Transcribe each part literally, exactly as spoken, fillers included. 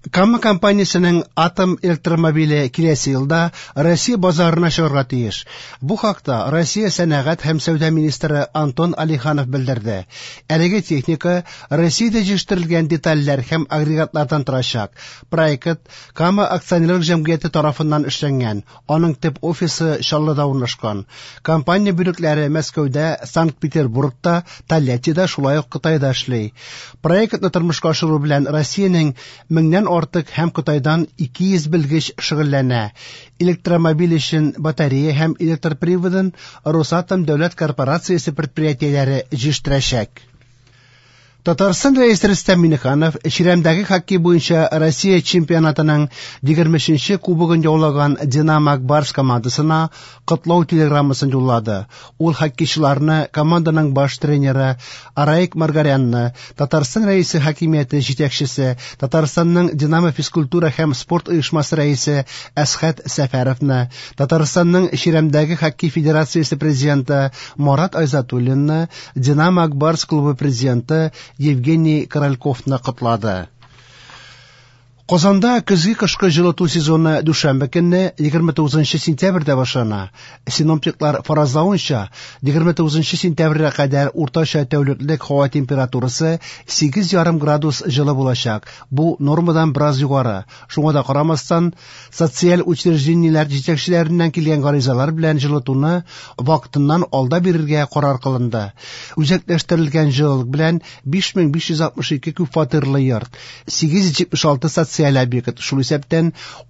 Кама компаниясенең Атом электромобиле киләсе елда Россия базарына чыгарга тиеш. Бу хакта Россия сәнәгать һәм сәүдә министры Антон Алиханов белдерде. Әлеге техника Россиядә җитештерелгән детальләр һәм агрегатлардан торачак. Проект Кама акционерлык җәмгыяте тарафыннан эшләнгән. Аның төп офисы Чаллыда урнашкан. Компания бүлекләре Мәскәүдә, Санкт-Петербургта, Тольяттида, шулай ук Кытайда эшли. Проектны тормышка ашыру белән Россиянең меңнән артык һәм Кытайдан ике йөз белгеч шөгыльләнә. Электромобиль өчен батарея һәм электр приводын Росатом дәүләт корпорациясе предприятиеләре җитештерәчәк. Татарстан Рәисе Рөстәм Миңнеханов чирәмдәге хоккей буенча Россия чемпионатының егерме өченче кубогын яулаган Динамо Ак Барс командасына котлау телеграммасын юллады. Ул хоккейчыларны команданың баш тренеры Араик Маргарянны, Татарстан Рәисе хакимияте җитәкчесе, Татарстанның Динамо физкультура һәм спорт оешмасы рәисе Әсхәт Сәфәровны, Татарстанның чирәмдәге хоккей федерациясе президенты Марат Айзатуллинны, Динамо Ак Барс клубы президенты Евгений Корольковны котлады. Казанда көзге кышкы җылыту сезоны дүшәмбе көнне егерме тугызынчы сентябрьдә башлана. Синоптиклар фаразлавынча, егерме тугызынчы сентябрьгә кадәр уртача тәүлеклек һава температурасы сигез ярым градус җылы булачак. Бу нормадан бераз югары. Шуңа да карамастан, социаль учреждениеләр җитәкчеләреннән килгән гаризалар белән җылытуны вакытыннан алда бирергә карар кылынды. Үзәкләштерелгән җылылык белән биш мең биш йөз алтмыш ике күп фатирлы йорт, сигез йөз җитмеш алты социаль объект, шул исәптән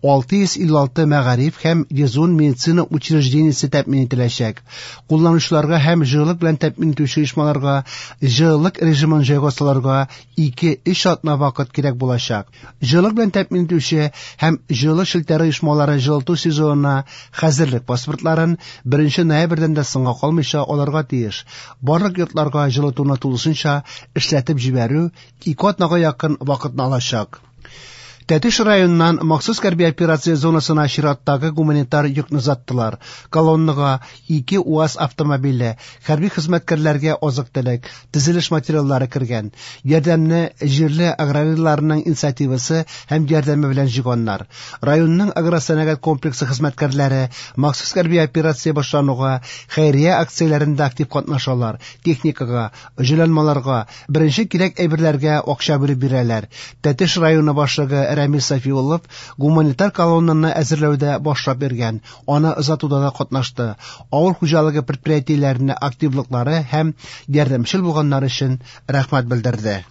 алты йөз илле алты мәгариф һәм йөз ун медицина учреждениесе тәэмин ителәчәк. Кулланучыларга һәм җылылык белән тәэмин итүче оешмаларга җылылык режимын җайга салырга ике-өч атна вакыт кирәк булачак. Җылылык белән тәэмин итүче һәм җылылык челтәре оешмалары җылыту сезонына хәзерлек паспортларын беренче ноябрьдән дә соңга калмыйча алырга тиеш. Барлык йортларга җылытуны тулысынча эшләтеп җибәрү ике атнага якын вакытны алачак. Тәтеш районыннан махсус хәрби операция зонасына чираттагы гуманитар йөкне озаттылар. Колоннага ике УАЗ автомобиле, хәрби хезмәткәрләргә азык-төлек, төзелеш материаллары кергән. Ярдәмне җирле аграрийларның инициативасы һәм ярдәме белән җыйганнар. Районның агросәнәгать комплексы хезмәткәрләре махсус хәрби операция башлануга хәйрия акцияләрендә актив катнашалар. Техникага, җайланмаларга, беренче кирәк әйберләргә акча бүлеп бирәләр. Тәтеш районы башлыгы Рәмис Сафиуллов гуманитар колоннаны әзерләүдә башлап биргән, аны озатуда да катнашты. Авыл хуҗалыгы предприятиеләренә активлыклары һәм ярдәмчел булганнары өчен рәхмәт белдерде.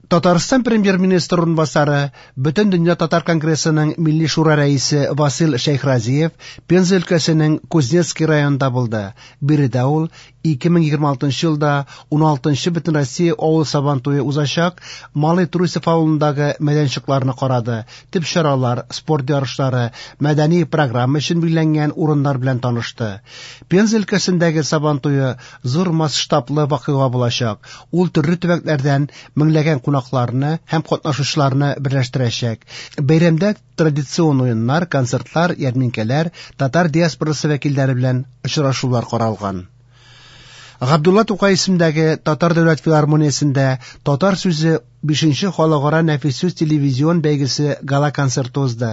Татарстан премьер-министры урынбасары, Бөтендөнья татар конгрессының Милли шура рәисе Васил Шәйхразиев Пенза өлкәсенең Кузнецкий районында булды. Биредә ул ике мең егерме алтынчы елда ун алтынчы Бөтенроссия авыл сабантуе узачак Малый Трусов авылындагы мәйданчыкларны карады. Төп чаралар, спорт ярышлары, мәдәни программа өчен билгеләнгән урыннар белән танышты. Пенза өлкәсендәге сабантуе зур масштаблы вакыйга булачак. Ул төрле төбәкләрдән меңләгән кунакларны һәм катнашучыларны берләштерәчәк. Бәйрәмдә традицион уеннар, концертлар, ярминкәләр, татар диаспорасы вәкилләре белән очрашулар каралган. Габдулла Тукай исемендәге Татар дәүләт филармониясендә Татар сүзе бишенче халыкара нәфис сүз телевизион бәйгесе гала-концерты узды.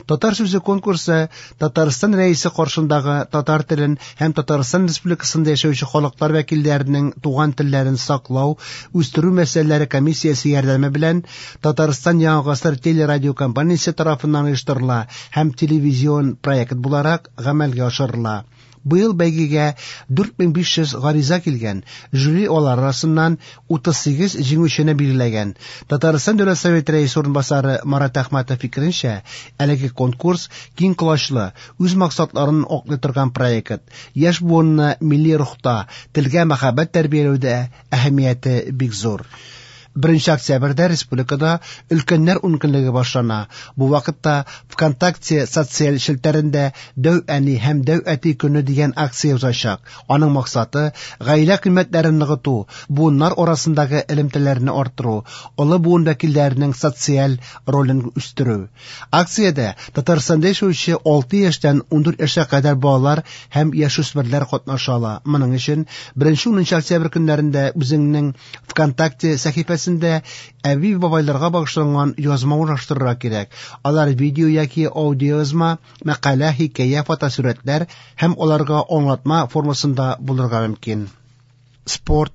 Татар сүзе конкурсы Татарстан Рәисе каршындагы татар телен һәм Татарстан Республикасында яшәүче халыклар вәкилләренең туган телләрен саклау, үстерү мәсьәләләре комиссиясе ярдәме белән Татарстан Яңа гасыр телерадиокомпаниясе тарафыннан оештырыла һәм телевизион проект буларак гамәлгә ашырыла. Быел бәйгегә дүрт мең биш йөз гариза килгән, жюри алар арасыннан утыз сигез җиңүчене билгеләгән. Татарстан Дәүләт Советы рәисе урынбасары Марат Әхмәтов фикеренчә, әлеге конкурс киң колачлы, үз максатларын аклый торган проект. Яшь буынны милли рухта, телгә мәхәббәт тәрбияләүдә әһәмияте бик зур. Беренче октябрьдә республикада өлкәннәр ункөнлеге башлана. Бу вакытта ВКонтакте социаль челтәрендә Дәү әни һәм Дәү әти көне дигән акция узачак. Аның максаты гаилә кыйммәтләрен ныгыту, буыннар арасындагы элемтәләрне арттыру, олы буын вәкилләренең социаль ролен үстерү. Акциядә Татарстанда яшәүче алты яшьтән ундүрт яшькә кадәр балалар һәм яшүсмерләр катнаша ала. Моның өчен беренче унынчы октябрь көннәрендә үзеңнең ВКонтакте сәхифәсендә челтәрләренең берсендә әби-бабайларга багышланган язма урнаштырырга кирәк. Алар видео яки аудиоязма, мәкалә, хикәя, фотосурәтләр һәм аларга аңлатма формасында булырга мөмкин. Спорт.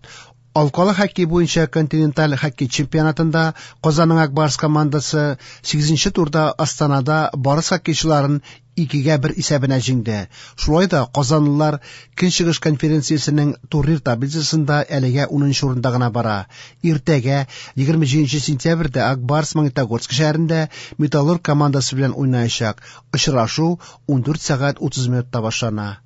Алкалы хоккей буенча континенталь хоккей чемпионатында Казанның "Ак Барс" командасы сигезенче турда Астанада "Барыс" хоккейчыларын икегә бер исәбенә җиңде. Шулай да казанлылар Көнчыгыш конференциясенең турнир таблицасында әлегә унынчы урында гына бара. Иртәгә, егерме җиденче сентябрьдә, "Ак Барс" Магнитогорск шәһәрендә "Металлург" командасы белән уйнаячак. Очрашу ундүрт сәгать утыз минутта башлана.